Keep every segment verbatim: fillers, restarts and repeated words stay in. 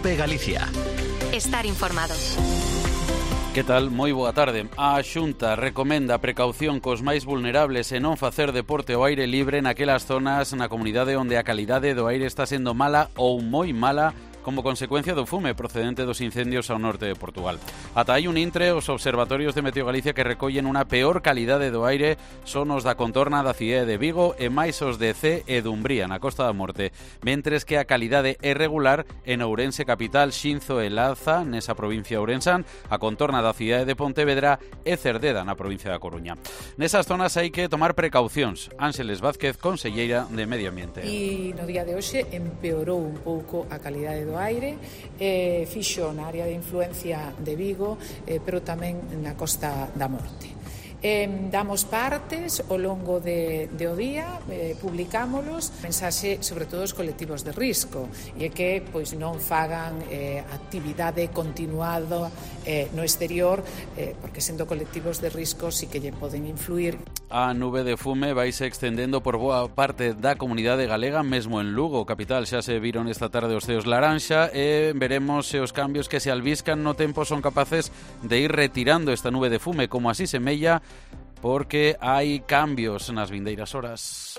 COPE Galicia. Estar informados. Que tal? Moi boa tarde. A Xunta recomenda precaución cos máis vulnerables e non facer deporte ao aire libre naquelas zonas na comunidade onde a calidade do aire está sendo mala ou moi mala como consecuencia do fume procedente dos incendios ao norte de Portugal. Ata hai un intre, os observatorios de Meteo Galicia que recollen unha peor calidade do aire son os da contorna da cidade de Vigo e máis os de Cee e Dumbría, na Costa da Morte, mentres que a calidade é regular en Ourense capital, Xinzo e Laza, nesa provincia ourensán, a contorna da cidade de Pontevedra e Cerdeda, na provincia da Coruña. Nesas zonas hai que tomar precaucións. Ángeles Vázquez, conselleira de Medio Ambiente. E no día de hoxe empeorou un pouco a calidade do do aire, eh, fixo na área de influencia de Vigo, eh, pero tamén na Costa da Morte. Eh, damos partes ao longo de, de o día, eh, publicámolos, mensaxe sobre todo os colectivos de risco, e é que pois non fagan eh, actividade continuada eh, no exterior, eh, porque sendo colectivos de risco sí que lle poden influir. A nube de fume vaise extendendo por boa parte da comunidade galega, mesmo en Lugo, capital. Xa se viron esta tarde os ceos laranxa e veremos se os cambios que se albiscan no tempo son capaces de ir retirando esta nube de fume, como así semella, porque hai cambios nas vindeiras horas.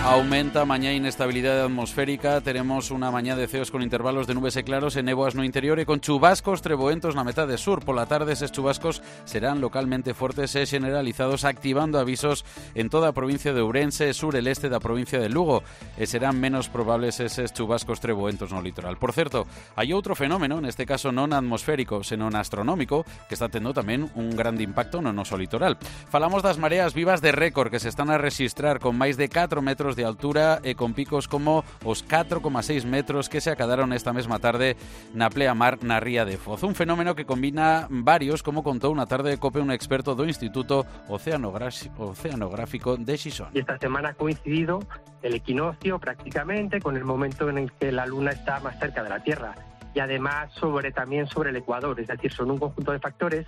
Aumenta mañá a inestabilidade atmosférica, teremos unha mañá de ceos con intervalos de nubes e claros e néboas no interior e con chubascos treboentos na metade sur. Pola tarde eses chubascos serán localmente fortes e generalizados, activando avisos en toda a provincia de Ourense e sur e leste da provincia de Lugo, e serán menos probables eses chubascos treboentos no litoral. Por certo, hai outro fenómeno, neste caso non atmosférico, senón astronómico, que está tendo tamén un grande impacto no noso litoral. Falamos das mareas vivas de récord que se están a rexistrar con máis de catro metros de altura e con picos como os catro coma seis metros que se acadaron esta mesma tarde na pleamar na ría de Foz. Un fenómeno que combina varios, como contou na tarde de COPE un experto do Instituto Oceanográfico de Xixón. Y esta semana ha coincidido el equinoccio prácticamente con el momento en el que la luna está más cerca de la Tierra, y además sobre también sobre el ecuador, es decir, son un conjunto de factores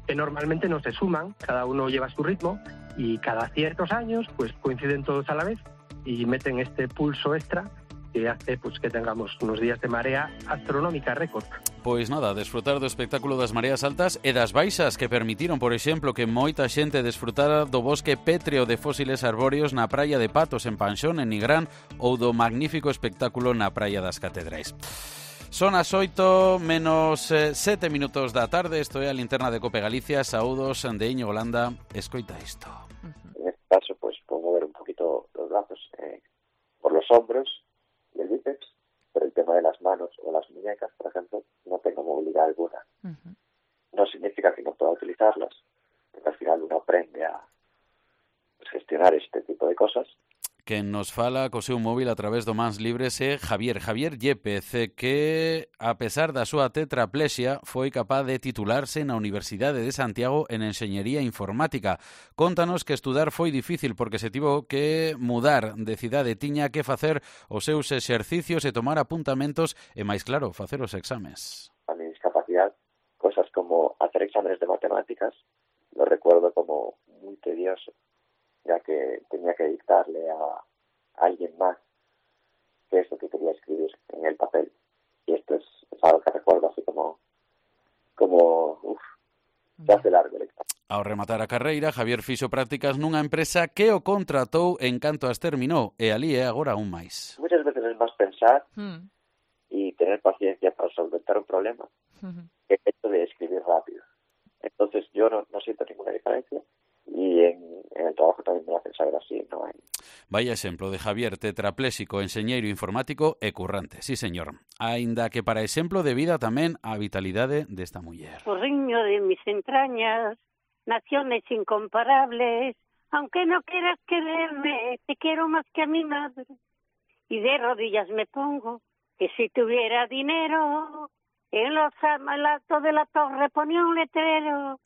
que normalmente no se suman, cada uno lleva su ritmo y cada ciertos años pues coinciden todos a la vez y meten este pulso extra que hace pues que tengamos unos días de marea astronómica récord. Pois nada, desfrutar do espectáculo das mareas altas e das baixas que permitiron, por exemplo, que moita xente desfrutara do bosque pétreo de fósiles arbóreos na praia de Patos en Panxón, en Nigrán, ou do magnífico espectáculo na praia das Catedrais. Son as oito menos sete minutos da tarde, isto é a linterna de COPE Galicia. Saúdos de Íñigo Landa, escoita isto. En este caso, pues puedo mover un poquito los brazos eh, por los hombros y el bíceps, pero el tema de las manos o las muñecas, por ejemplo, no tengo movilidad alguna. Uh-huh. No significa que no pueda utilizarlas, porque al final uno aprende a pues, gestionar este tipo de cosas. Quen nos fala co seu móvil a través do Mans Libres é Javier, Javier Yepez, que, a pesar da súa tetraplexia, foi capaz de titularse na Universidade de Santiago en Enxeñería Informática. Contanos que estudar foi difícil porque se tivo que mudar de cidade, tiña que facer os seus exercicios e tomar apuntamentos e, máis claro, facer os exames. A mi discapacidad, cosas como hacer exámenes de matemáticas, lo recuerdo como muy tedioso, ya que tenía que dictarle a alguien más qué es lo que quería escribir en el papel. Y esto es, es algo que recuerdo así como, como uff, se hace largo el examen. Ao rematar a carreira, Javier fixo prácticas nunha empresa que o contratou en canto as terminou, e ali é agora aún máis. Muchas veces es más pensar mm. y tener paciencia para solventar un problema mm-hmm. que el hecho de escribir rápido. Entonces yo no, no siento ninguna diferencia. Y en, en el trabajo tamén me hacen saber así, non hai. Vaya exemplo de Javier, tetrapléxico, enxeñeiro informático e currante, sí señor. Aínda que para exemplo de vida tamén a vitalidade desta muller. Porriño de mis entrañas, naciones incomparables, aunque no quieras quererme, te quiero más que a mi madre. Y de rodillas me pongo, que si tuviera dinero, en los altos de la torre ponía un letrero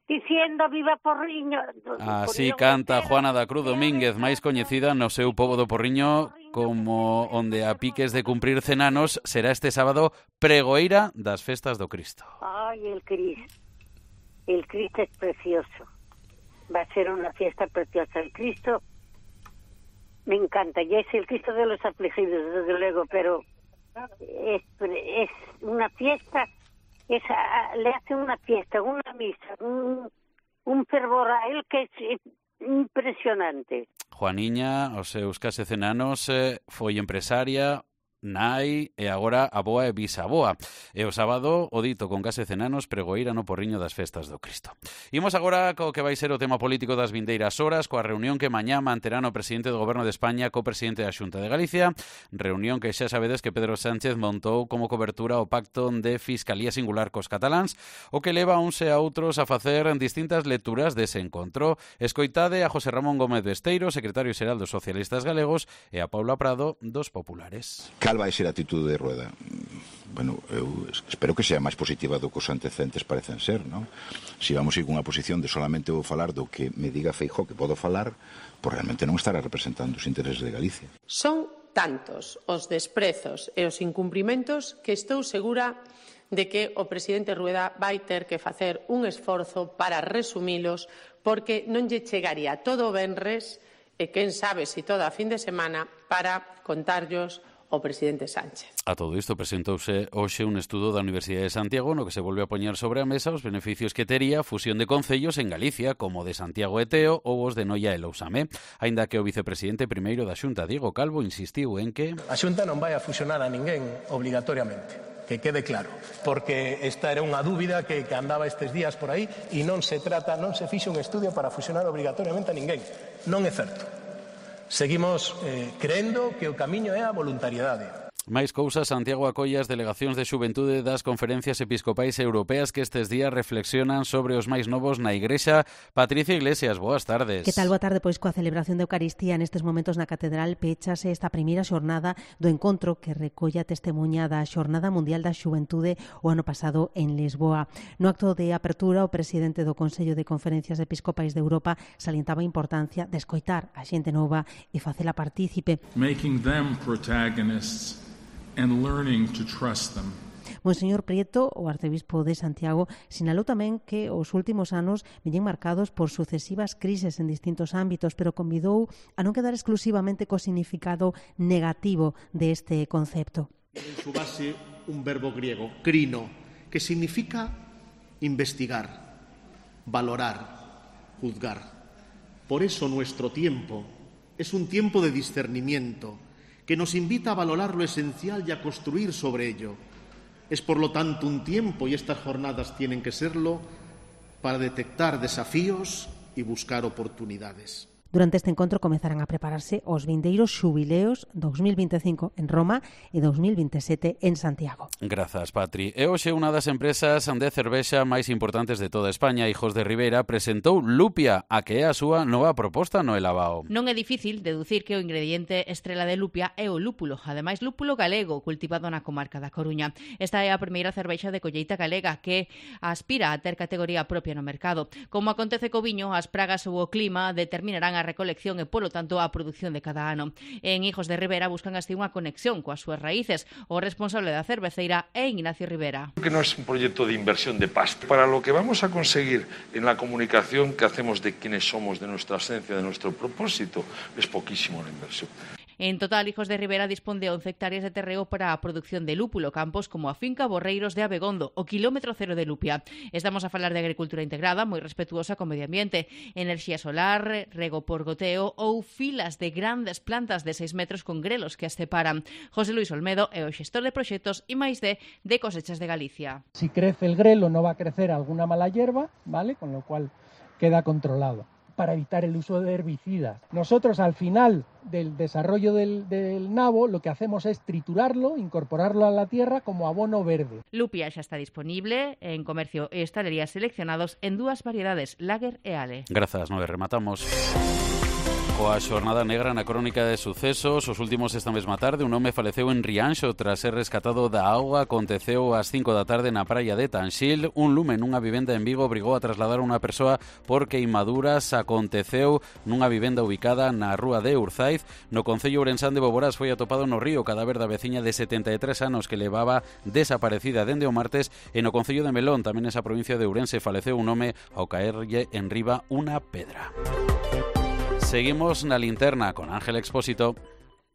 diciendo viva Porriño. Así canta Juana da Cruz Domínguez, máis coñecida no seu pobo do Porriño como onde a piques de cumprir cen anos será este sábado pregoeira das festas do Cristo. Ay, el Cristo. El Cristo es precioso. Va a ser una fiesta preciosa. El Cristo me encanta. Ya es el Cristo de los afligidos, desde luego, pero es, es una fiesta, es, le hace una fiesta, una misa, un, un fervor a él que es impresionante. Juaniña, os seus case cen anos, eh, foi empresaria, nai e agora aboa e bisaboa. E o sábado, o dito con case cen anos, pregoeira no porriño das festas do Cristo. Imos agora co que vai ser o tema político das vindeiras horas, coa reunión que mañá manterán o presidente do Goberno de España co presidente da Xunta de Galicia, reunión que xa sabedes que Pedro Sánchez montou como cobertura o pacto de fiscalía singular cos cataláns, o que leva a uns e a outros a facer distintas lecturas dese encontro. Escoitade a José Ramón Gómez Besteiro, secretario xeral dos socialistas galegos, e a Paula Prado dos populares. Cal vai ser a atitude de Rueda? Bueno, eu espero que sea máis positiva do que os antecedentes parecen ser, non? Se vamos ir con unha posición de solamente vou falar do que me diga Feijóo que podo falar, pois realmente non estará representando os intereses de Galicia. Son tantos os desprezos e os incumprimentos que estou segura de que o presidente Rueda vai ter que facer un esforzo para resumilos, porque non lle chegaría todo o venres e quen sabe si toda a fin de semana para contarllos o presidente Sánchez. A todo isto presentouse hoxe un estudo da Universidade de Santiago no que se volve a poñer sobre a mesa os beneficios que tería a fusión de concellos en Galicia, como de Santiago e Teo ou os de Noia e Lousame. Aínda que o vicepresidente primeiro da Xunta, Diego Calvo, insistiu en que a Xunta non vai a fusionar a ninguén obrigatoriamente, que quede claro, porque esta era unha dúbida que, que andaba estes días por aí e non se trata, non se fixo un estudio para fusionar obrigatoriamente a ninguén. Non é certo. Seguimos eh, creendo que o camiño é a voluntariedade. Máis cousas, Santiago acolle as delegacións de xuventude das conferencias episcopais europeas que estes días reflexionan sobre os máis novos na Igrexa. Patricia Iglesias, boas tardes. Que tal, boa tarde? Pois coa celebración de Eucaristía nestes momentos na Catedral pechase esta primeira xornada do encontro que recolla testemunha da Xornada Mundial da Xuventude o ano pasado en Lisboa. No acto de apertura, o presidente do Consello de Conferencias Episcopais de Europa salientaba a importancia de escoitar a xente nova e facela partícipe. Making them protagonists and learning to trust them. Monseñor Prieto, o arcebispo de Santiago, sinalou tamén que os últimos anos veñen marcados por sucesivas crises en distintos ámbitos, pero convidou a non quedar exclusivamente co significado negativo deste concepto. En su base un verbo griego, krino, que significa investigar, valorar, juzgar. Por eso nuestro tiempo es un tiempo de discernimiento, que nos invita a valorar lo esencial y a construir sobre ello. Es, por lo tanto, un tiempo, y estas jornadas tienen que serlo, para detectar desafíos y buscar oportunidades. Durante este encontro comezarán a prepararse os vindeiros xubileos dos mil vinte e cinco en Roma e dos mil vinte e sete en Santiago. Grazas, Patri. E hoxe unha das empresas de cervexa máis importantes de toda España, Hijos de Ribera, presentou Lupia, a que é a súa nova proposta no Elabao. Non é difícil deducir que o ingrediente estrela de Lupia é o lúpulo, ademais lúpulo galego, cultivado na comarca da Coruña. Esta é a primeira cervexa de colleita galega que aspira a ter categoría propia no mercado. Como acontece co viño, as pragas ou o clima determinarán a recolección e, polo tanto, a produción de cada ano. En Hijos de Ribera buscan así unha conexión coas súas raíces. O responsable da cerveceira é Ignacio Rivera. Que no es un proyecto de inversión de pasta. Para lo que vamos a conseguir en la comunicación que hacemos de quiénes somos, de nuestra esencia, de nuestro propósito, es poquísimo la inversión. En total, Hijos de Ribera dispón de once hectáreas de terreo para a produción de lúpulo, campos como a finca Borreiros de Abegondo, o kilómetro cero de Lupia. Estamos a falar de agricultura integrada, moi respetuosa co medio ambiente, enerxía solar, rego por goteo ou filas de grandes plantas de seis metros con grelos que as separan. José Luis Olmedo é o xestor de proxectos I máis D de Cosechas de Galicia. Si crece el grelo no va a crecer alguna mala hierba, ¿vale? Con lo cual queda controlado, para evitar el uso de herbicidas. Nosotros al final del desarrollo del, del nabo lo que hacemos es triturarlo, incorporarlo a la tierra como abono verde. Lupia xa está disponible en comercio e estalerías seleccionados en dúas variedades, Lager e Ale. Grazas, nove, rematamos. Coa xornada negra na crónica de sucesos, os últimos esta mesma tarde, un home faleceu en Rianxo tras ser rescatado da auga. Aconteceu ás cinco da tarde na praia de Tanxil. Un lume nunha vivenda en Vigo obrigou a trasladar a unha persoa por queimaduras. Aconteceu nunha vivenda ubicada na rúa de Urzaiz. No concello ourensán de Boborás foi atopado no río o cadáver da veciña de setenta e tres anos que levaba desaparecida dende o martes. E no concello de Melón, tamén nesa provincia de Ourense, faleceu un home ao caerlle en riba unha pedra. Seguimos na linterna con Ángel Expósito.